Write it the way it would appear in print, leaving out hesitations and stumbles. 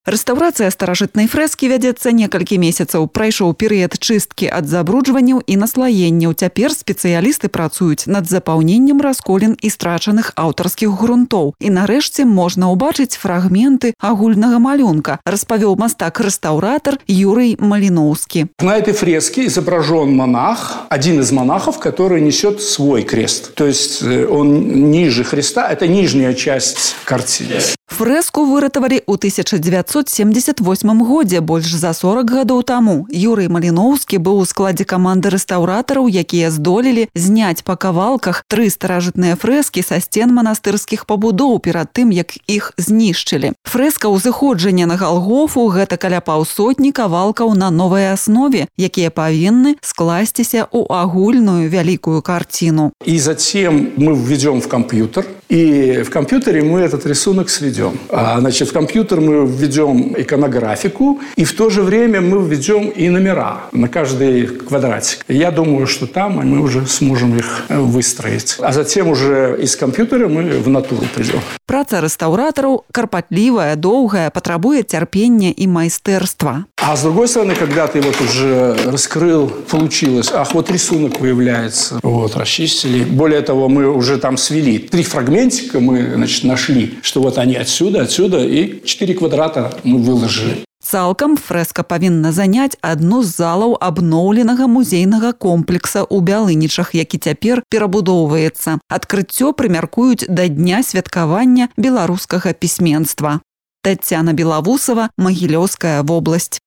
Рэстаўрацыя старажытнай фрэскі вядзецца некалькі месяцаў. Прайшоў перыяд чысткі ад забруджванняў і наслаенняў. Цяпер спецыялісты працуюць над запаўненнем расколін і страчаных аўтарскіх грунтоў. І нарэшце можна ўбачыць фрагменты агульнага малюнка, распавёў мастак-рэстаўратар Юрий Малиновский. На этой фреске изображен монах, один из монахов, который несет свой крест. То есть он ниже Христа, это нижняя часть картины. Фрэску выратавалі ў 1978 годзе, больш за 40 гадоў таму. Юрий Малиновский быў у складзе каманды рэстаўратараў, якія здолелі зняць па кавалках 3 старажытныя фрэскі са сцен манастырскіх пабудоў перад тым, як іх знішчылі. Фрэска ўзыходжання на Галгофу – гэта каля паўсотні кавалкаў на новай аснове, якія павінны скласціся ў агульную вялікую картину. И затем мы введем в компьютер, и в компьютере мы этот рисунок сведем. Значит, в компьютер мы введем иконографику, и в то же время мы введем и номера на каждый квадратик. Я думаю, что там мы уже сможем их выстроить. А затем уже из компьютера мы в натуру придем. Праца рэстаўратараў карпатлівая, доўгая, патрабуе цярпення і майстэрства. А с другой стороны, когда ты вот уже раскрыл, получилось, вот рисунок появляется, вот, расчистили. Более того, мы уже там свели 3 фрагментика, мы, значит, нашли, что вот они отсюда, и 4 квадрата мы выложили. Цалкам фрэска павінна заняць адну з залаў абноўленага музейнага комплекса ў Бялынічах, які цяпер перабудоўваецца. Адкрыццё прымяркуюць да дня святкавання беларускага пісьменства. Тацяна Белавусова, Магілёўская вобласць.